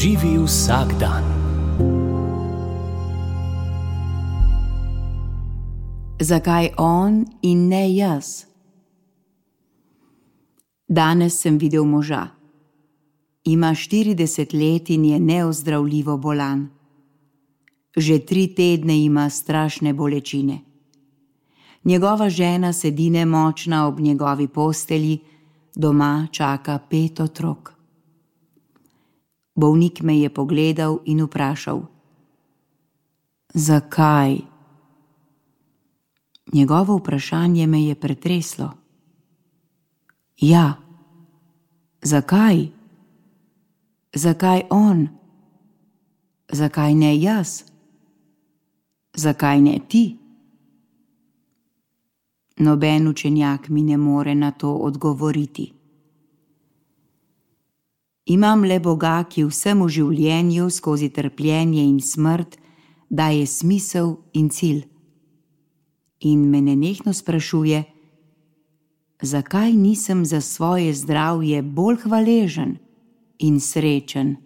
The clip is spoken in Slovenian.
Živi vsak dan. Zakaj on in ne jaz? Danes sem videl moža. Ima 40 let in je neozdravljivo bolan. Že 3 tedne ima strašne bolečine. Njegova žena sedi nemočna ob njegovi postelji, doma čaka 5 otrok. Bolnik me je pogledal in vprašal: Zakaj? Njegovo vprašanje me je pretreslo. Ja, zakaj? Zakaj on? Zakaj ne jaz? Zakaj ne ti? Noben učenjak mi ne more na to odgovoriti. Imam le Boga, ki vsemu življenju skozi trpljenje in smrt daje smisel in cilj. In me nenehno sprašuje, zakaj nisem za svoje zdravje bolj hvaležen in srečen.